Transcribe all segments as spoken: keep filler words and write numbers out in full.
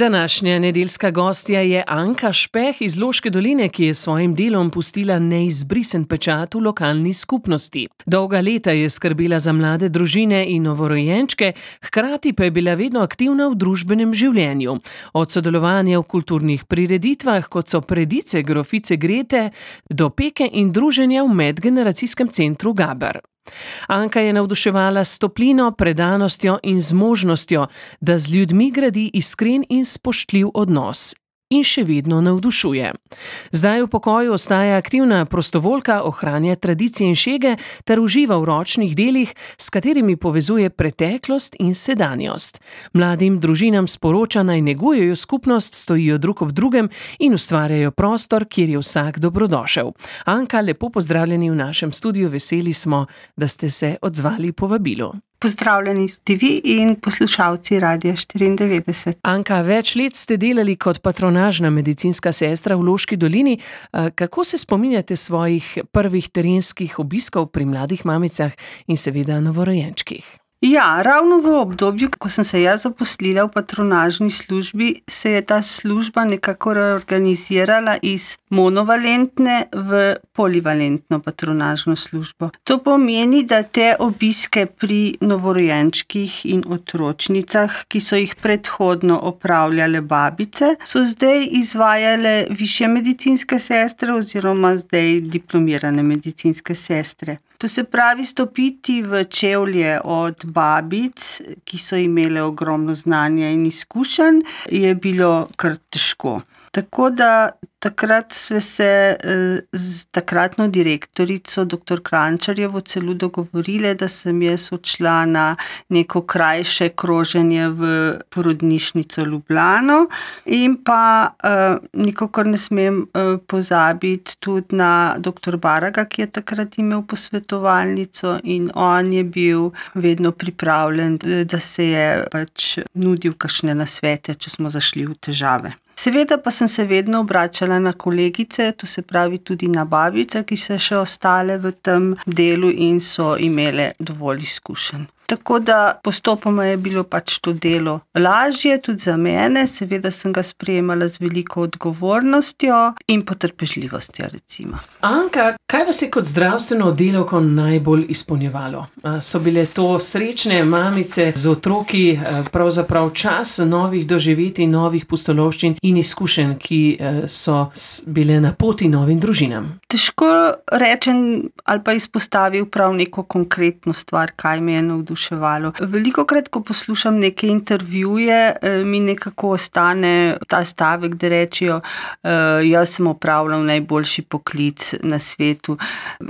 Današnja nedeljska gostja je Anka Špeh iz Loške doline, ki je s svojim delom pustila neizbrisen pečat v lokalni skupnosti. Dolga leta je skrbela za mlade družine in novorojenčke, hkrati pa je bila vedno aktivna v družbenem življenju. Od sodelovanja v kulturnih prireditvah, kot so Predice grofice Grete, do peke in druženja v medgeneracijskem centru Gaber. Anka je navduševala s toplino, predanostjo in zmožnostjo, da z ljudmi gradi iskren in spoštljiv odnos. In še vedno navdušuje. Zdaj v pokoju ostaja aktivna prostovoljka, ohranja tradicije in šege ter uživa v ročnih delih, s katerimi povezuje preteklost in sedanjost. Mladim družinam sporoča, naj negujejo skupnost, stojijo drug ob drugem in ustvarjajo prostor, kjer je vsak dobrodošel. Anka, lepo pozdravljeni v našem studiu, veseli smo, da ste se odzvali povabilu. Pozdravljeni tudi vi in poslušalci Radia štiriindevetdeset. Anka, več let ste delali kot patronažna medicinska sestra v Loški dolini. Kako se spominjate svojih prvih terenskih obiskov pri mladih mamicah in seveda novorojenčkih? Ja, ravno v obdobju, ko sem se jaz zaposlila v patronažni službi, se je ta služba nekako reorganizirala iz monovalentne v polivalentno patronažno službo. To pomeni, da te obiske pri novorojenčkih in otročnicah, ki so jih predhodno opravljale babice, so zdaj izvajale višje medicinske sestre oziroma zdaj diplomirane medicinske sestre. To se pravi, stopiti v čevlje od babic, ki so imele ogromno znanja in izkušenj, je bilo kar težko. Tako da takrat sve se z takratno direktorico, doktor Krančarjevo, celo dogovorile, da sem jaz odšla na neko krajše kroženje v porodnišnico Ljubljano in pa uh, nikakor ne smem uh, pozabiti tudi na doktor Baraga, ki je takrat imel posvetovalnico in on je bil vedno pripravljen, da se je pač nudil kakšne nasvete, če smo zašli v težave. Seveda pa sem se vedno obračala na kolegice, to se pravi tudi na babice, ki so še ostale v tem delu in so imele dovolj izkušenj. Tako da postopoma je bilo pač to delo lažje, tudi za mene, seveda sem ga sprejemala z veliko odgovornostjo in potrpežljivostjo, recimo. Anka, kaj vas je kot zdravstveno oddelko najbolj izpolnjevalo? So bile to srečne mamice z otroki, pravzaprav čas novih doživetij, novih pustolovščin in izkušenj, ki so bile na poti novim družinam? Težko rečem ali pa izpostavil prav neko konkretno stvar, kaj me je navduševalo. Velikokrat, ko poslušam neke intervjuje, mi nekako ostane ta stavek, da rečijo, jaz sem opravljal najboljši poklic na svetu.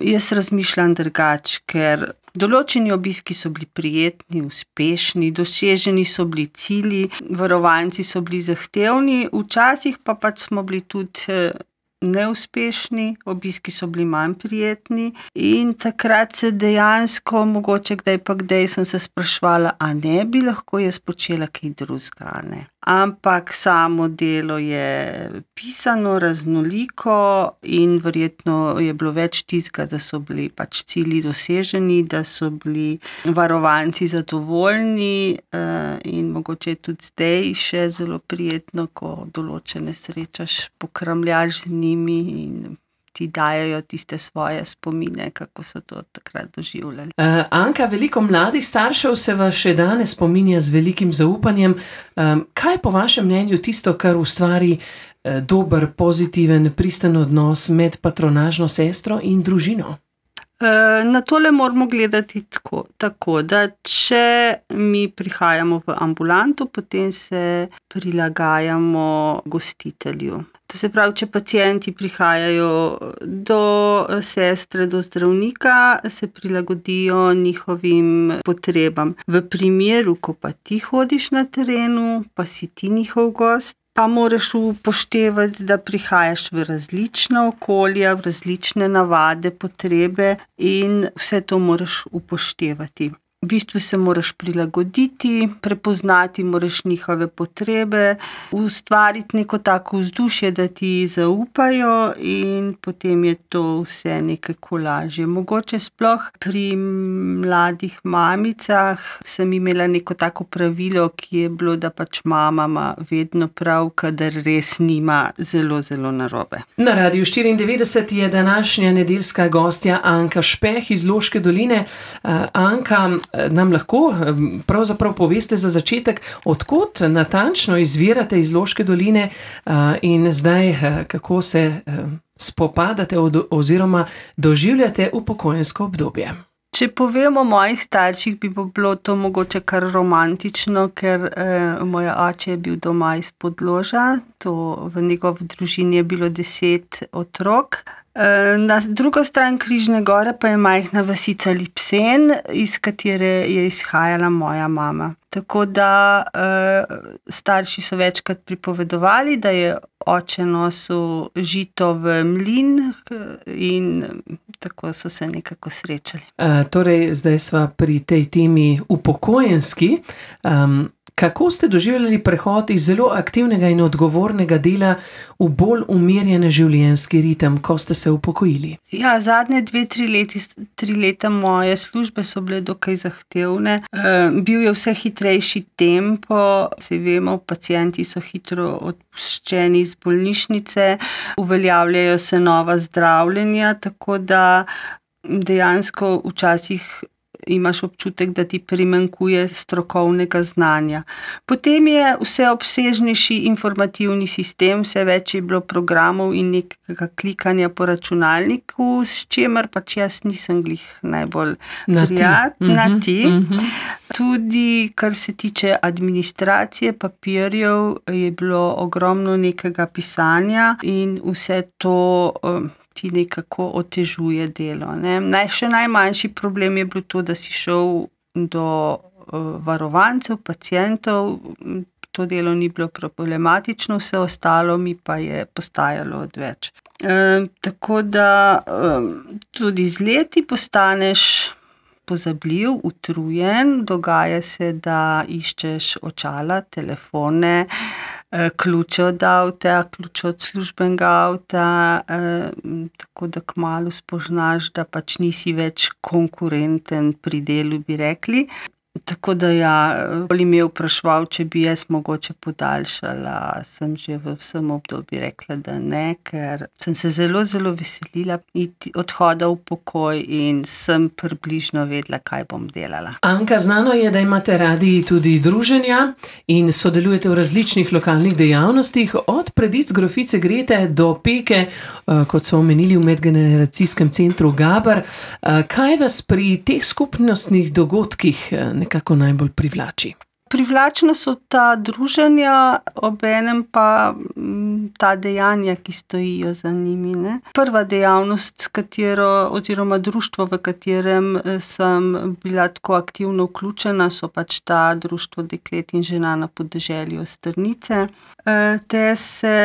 Jaz razmišljam drugače, ker določeni obiski so bili prijetni, uspešni, doseženi so bili cilji, varovanci so bili zahtevni, včasih pa pač smo bili tudi neuspešni, obiski so bili manj prijetni in takrat se dejansko, mogoče kdaj pa kdaj sem se spraševala, a ne bi lahko jaz počela kaj drugega, ne. Ampak samo delo je pisano, raznoliko in verjetno je bilo več tistega, da so bili pač cilji doseženi, da so bili varovanci zadovoljni in mogoče je tudi zdaj še zelo prijetno, ko določene srečaš, pokramljaš z njimi in ti dajajo tiste svoje spomine, kako so to takrat doživljali. Uh, Anka, veliko mladih staršev se vas še danes spominja z velikim zaupanjem. Um, kaj po vašem mnenju tisto, kar ustvari uh, dober, pozitiven, pristen odnos med patronažno sestro in družino? Na tole moramo gledati tako, tako, da če mi prihajamo v ambulanto, potem se prilagajamo gostitelju. To se pravi, če pacienti prihajajo do sestre, do zdravnika, se prilagodijo njihovim potrebam. V primeru, ko pa ti hodiš na terenu, pa si ti njihov gost, pa moraš upoštevati, da prihajaš v različna okolja, v različne navade, potrebe in vse to moraš upoštevati. V bistvu se moraš prilagoditi, prepoznati moraš njihove potrebe, ustvariti neko tako vzdušje, da ti zaupajo in potem je to vse nekako lažje. Mogoče sploh pri mladih mamicah sem imela neko tako pravilo, ki je bilo, da pač mama ima vedno prav, kadar res nima zelo, zelo narobe. Na Radiu štiriindevetdeset je današnja nedeljska gostja Anka Špeh iz Loške doline. Anka, nam lahko pravzaprav poveste za začetek, od kod natančno izvirate iz Loške doline in zdaj kako se spopadate oziroma doživljate upokojensko obdobje? Če povem o mojih starših, bi bilo to mogoče kar romantično, ker eh, moj oče je bil doma iz Podloža, to v njegovi družini je bilo deset otrok. Na drugo stran Križne gore pa je majhna vasica Lipsen, iz katere je izhajala moja mama. Tako da eh, starši so večkrat pripovedovali, da je oče nosil žito v mlin in tako so se nekako srečali. Uh, torej, zdaj sva pri tej temi upokojenski. Um, Kako ste doživljali prehod iz zelo aktivnega in odgovornega dela v bolj umirjene življenjski ritem, ko ste se upokojili? Ja, zadnje dve, tri leti, tri leta moje službe so bile dokaj zahtevne. E, bil je vse hitrejši tempo, se vemo, pacienti so hitro odpuščeni iz bolnišnice, uveljavljajo se nova zdravljenja, tako da dejansko včasih imaš občutek, da ti primanjkuje strokovnega znanja. Potem je vse obsežnejši informativni sistem, vse več je bilo programov in nekega klikanja po računalniku, s čemer pač jaz nisem glih najbolj prijatna. Na ti. Uh-huh. Tudi, kar se tiče administracije papirjev, je bilo ogromno nekega pisanja in vse to ti nekako otežuje delo. Ne? Naj, še najmanjši problem je bilo to, da si šel do uh, varovancev, pacientov, to delo ni bilo problematično, vse ostalo mi pa je postajalo odveč. E, tako da um, tudi z leti postaneš pozabljiv, utrujen, dogaja se, da iščeš očala, telefone, ključe od avta, ključe od službenega avta, eh, tako da kmalu spoznaš, da pač nisi več konkurenten pri delu, bi rekli. Tako da ja, bolj me vprašal, če bi jaz mogoče podaljšala, sem že v vsem obdobju rekla, da ne, ker sem se zelo, zelo veselila iti odhoda v pokoj in sem približno vedela, kaj bom delala. Anka, znano je, da imate radi tudi druženja in sodelujete v različnih lokalnih dejavnostih, od predic grofice Grete do peke, kot so omenili v medgeneracijskem centru Gaber. Kaj vas pri teh skupnostnih dogodkih nekako najbolj privlači? Privlačna so ta druženja, obenem pa ta dejanja, ki stojijo za njimi. Ne? Prva dejavnost, s katero, oziroma društvo, v katerem sem bila tako aktivno vključena, so pač ta društvo deklet in žena na podeželju Strnice. Te se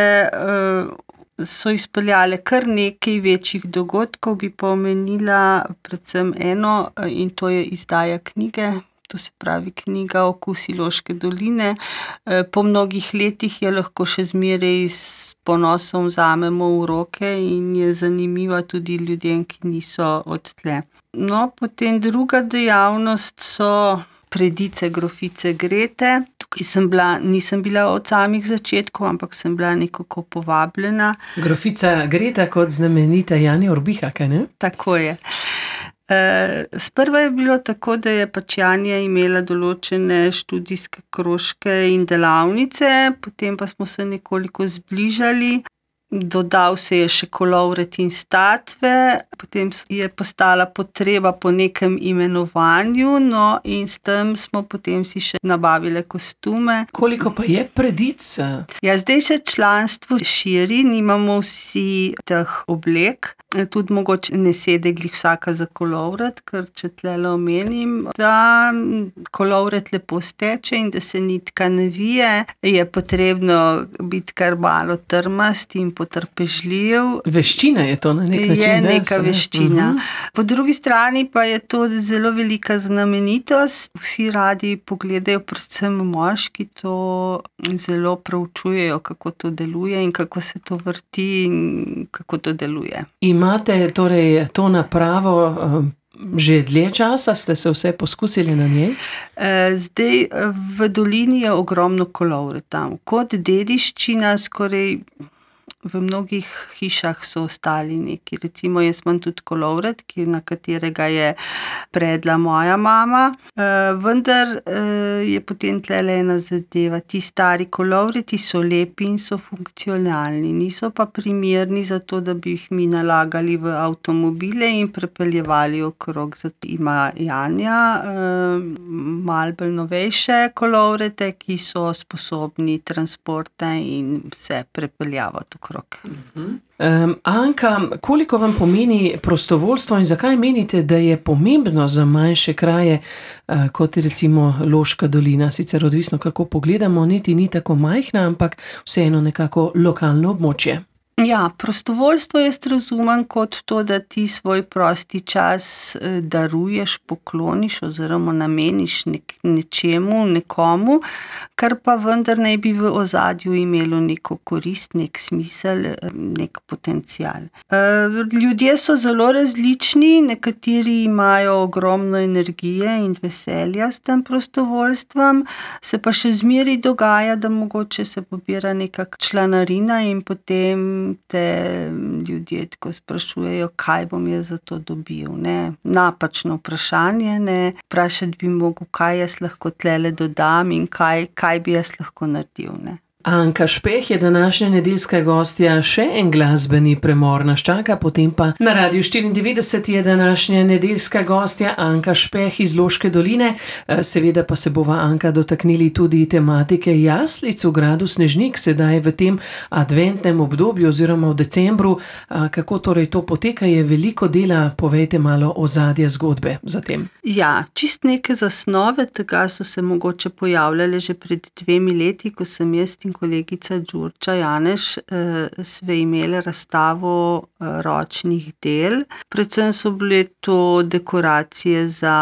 so izpeljale kar nekaj večjih dogodkov, bi pa omenila predvsem eno, in to je izdaja knjige. To se pravi knjiga Okusi Loške doline. Po mnogih letih je lahko še zmeraj s ponosom vzamemo v roke in je zanimiva tudi ljudem, ki niso odtle. No, potem druga dejavnost so predice grofice Grete. Tukaj sem bila, nisem bila od samih začetkov, ampak sem bila nekako povabljena. Grofica Greta kot znamenita Janja Urbiha, kaj ne? Tako je. Sprva je bilo tako, da je pač Janja imela določene študijske krožke in delavnice, potem pa smo se nekoliko zbližali. Dodal se je še kolovret in statve, potem je postala potreba po nekem imenovanju, no in s tem smo potem si še nabavile kostume. Koliko pa je predic? Ja, zdaj se članstvo širi, nimamo vsi teh oblek, tudi mogoče ne sede glih vsaka za kolovret, ker če tlele omenim, da kolovret lepo steče in da se nitka ne vije, je potrebno biti kar malo trmast in potrpežljiv. Veščina je to na nek način. Je neka ne? veščina. Mhm. Po drugi strani pa je to zelo velika znamenitost. Vsi radi pogledajo, predvsem moški, to zelo preučujejo, kako to deluje in kako se to vrti in kako to deluje. Imate torej to napravo um, že dlje časa, ste se vse poskusili na njej? Zdaj v dolini je ogromno kolovre tam. Kot dediščina skoraj v mnogih hišah so ostali neki. Recimo jaz imam tudi kolovred, na katerega je predla moja mama, vendar je potem tlele ena zadeva. Ti stari kolovreti so lepi in so funkcionalni, niso pa primerni za to, da bi jih mi nalagali v avtomobile in prepeljevali okrog. Zato ima Janja malo bolj novejše kolovrete, ki so sposobni transporta in se prepeljavati okrog. Um, Anka, koliko vam pomeni prostovoljstvo in zakaj menite, da je pomembno za manjše kraje, uh, kot je recimo Loška dolina? Sicer odvisno, kako pogledamo, niti ni tako majhna, ampak vseeno nekako lokalno območje. Ja, prostovoljstvo jaz razumem kot to, da ti svoj prosti čas daruješ, pokloniš oziroma nameniš nek, nečemu, nekomu, kar pa vendar naj bi v ozadju imelo neko korist, nek smisel, nek potencial. Ljudje so zelo različni, nekateri imajo ogromno energije in veselja s tem prostovoljstvom, se pa še zmeraj dogaja, da mogoče se pobira neka članarina in potem te ljudje tako sprašujejo, kaj bom jaz za to dobil, ne. Napačno vprašanje, ne. Vprašati bi mogel, kaj jaz lahko tlele dodam in kaj, kaj bi jaz lahko naredil, ne. Anka Špeh je današnja nedeljska gostja, še en glasbeni premor nas čaka, potem pa na Radiu štiriindevetdeset je današnja nedeljska gostja Anka Špeh iz Loške doline. Seveda pa se bova, Anka, dotaknili tudi tematike jaslic v gradu Snežnik, sedaj v tem adventnem obdobju oziroma v decembru. Kako torej to poteka, je veliko dela, povejte malo ozadje zgodbe za tem. Ja, čist neke zasnove tega so se mogoče pojavljale že pred dvemi leti, ko sem jaz in kolegica Đurđa Janeš sve imele razstavo ročnih del. Predvsem so bile to dekoracije za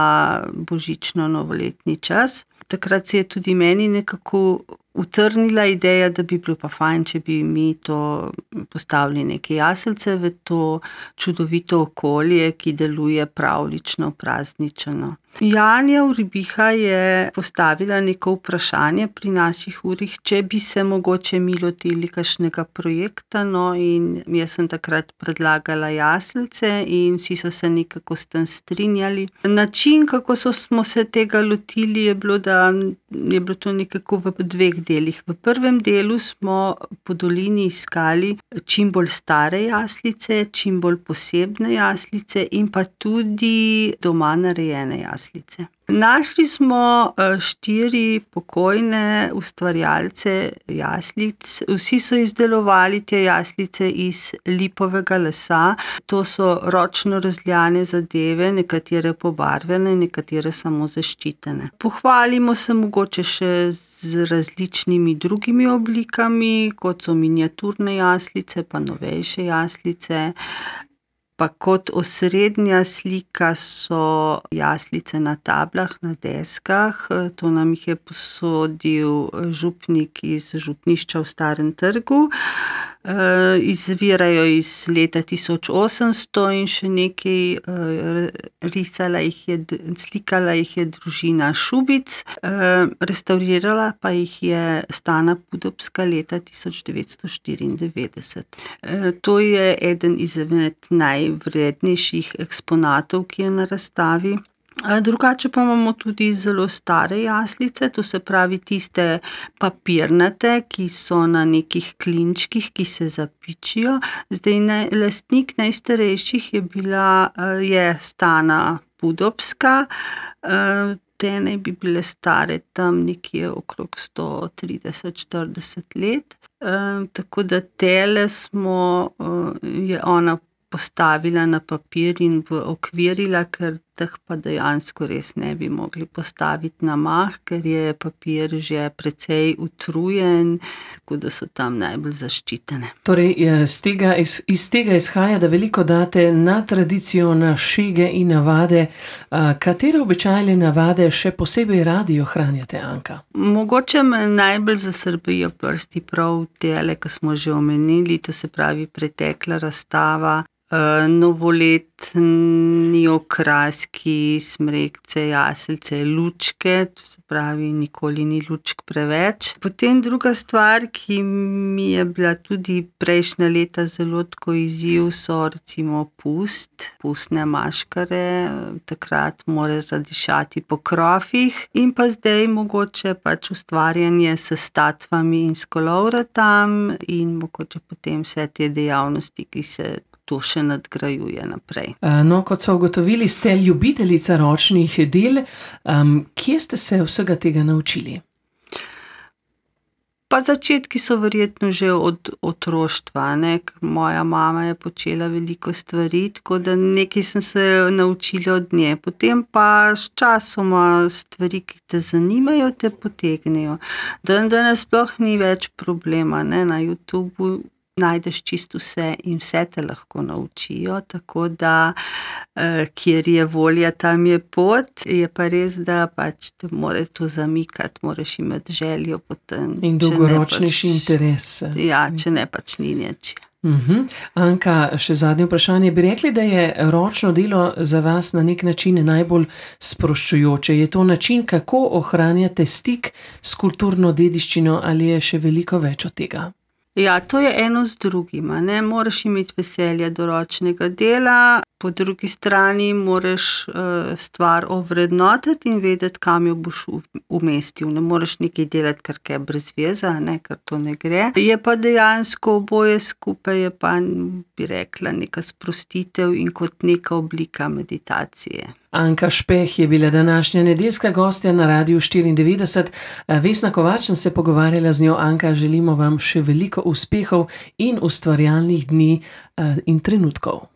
božično-novoletni čas. Takrat se je tudi meni nekako utrnila ideja, da bi bilo pa fajn, če bi mi to postavili neke jaslice v to čudovito okolje, ki deluje pravlično, praznično. Janja Uribiha je postavila neko vprašanje pri naših urih, če bi se mogoče mi lotili kakšnega projekta, no, in jaz sem takrat predlagala jaslice in vsi so se nekako s tem strinjali. Način, kako so, smo se tega lotili, je bilo, da je bilo to nekako v dveh delih. V prvem delu smo po dolini iskali čim bolj stare jaslice, čim bolj posebne jaslice in pa tudi doma narejene jaslice. Našli smo štiri pokojne ustvarjalce jaslic. Vsi so izdelovali te jaslice iz lipovega lesa. To so ročno razljane zadeve, nekatere pobarvene, nekatere samo zaščitene. Pohvalimo se mogoče še z različnimi drugimi oblikami, kot so miniaturne jaslice, pa novejše jaslice. Pa kot osrednja slika so jaslice na tablah, na deskah. To nam jih je posodil župnik iz župnišča v Starem trgu. Izvirajo iz leta tisoč osemsto in še nekaj risala jih je, slikala jih je družina Šubic, restavrirala pa jih je Stana Pudobska leta tisoč devetsto štiriindevetdeset. To je eden izmed najvrednejših eksponatov, ki je na razstavi. Drugače pa imamo tudi zelo stare jaslice, to se pravi tiste papirnate, ki so na nekih klinčkih, ki se zapičijo. Zdaj, ne, lastnik najstarejših je bila, je Stana Pudobska, te naj bi bile stare tam nekje okrog sto trideset štirideset let, tako da tele smo, je ona postavila na papir in okvirila, ker teh pa dejansko res ne bi mogli postaviti na mah, ker je papir že precej utrujen, tako da so tam najbolj zaščitene. Torej, iz tega, iz, iz tega izhaja, da veliko date na tradicijo, na šege in navade. Katere običajne navade še posebej radi ohranjate, Anka? Mogoče me najbolj zasrbijo prsti prav tele, ki smo že omenili, to se pravi pretekla razstava, novoletni okraski, smrekce, jaselce, lučke, to se pravi, nikoli ni lučk preveč. Potem druga stvar, ki mi je bila tudi prejšnja leta zelo tako izziv, so recimo pust, pustne maškare, takrat mora zadišati po krofih in pa zdaj mogoče pač ustvarjanje s statvami in s kolovratam in mogoče potem vse te dejavnosti, ki se to še nadgrajuje naprej. No, kot so ugotovili, ste ljubiteljica ročnih del. Um, kje ste se vsega tega naučili? Pa začetki so verjetno že od otroštva, ne? Moja mama je počela veliko stvari, tako da nekaj sem se naučila od nje. Potem pa s časoma stvari, ki te zanimajo, te potegnejo. Dan danes sploh ni več problema, ne? Na YouTubu najdeš čisto vse in vse te lahko naučijo, tako da eh, kjer je volja, tam je pot. Je pa res, da pač te more to zamikati, moraš imeti željo potem. In dolgoročnejši pač, interes. Ja, če ne pač ni nič. Uh-huh. Anka, še zadnje vprašanje. Bi rekli, da je ročno delo za vas na nek način najbolj sproščujoče? Je to način, kako ohranjate stik s kulturno dediščino ali je še veliko več od tega? Ja, to je eno z drugima, ne, moraš imeti veselje do ročnega dela, po drugi strani moraš uh, stvar ovrednotiti in vedeti, kam jo boš umestil. Ne moreš nekaj delati, kar je brez veze, ne, ker to ne gre. Je pa dejansko oboje skupaj, je pa, bi rekla, neka sprostitev in kot neka oblika meditacije. Anka Špeh je bila današnja nedeljska gostja na Radiu štiriindevetdeset. Vesna Kovač sem se pogovarjala z njo. Anka, želimo vam še veliko uspehov in ustvarjalnih dni in trenutkov.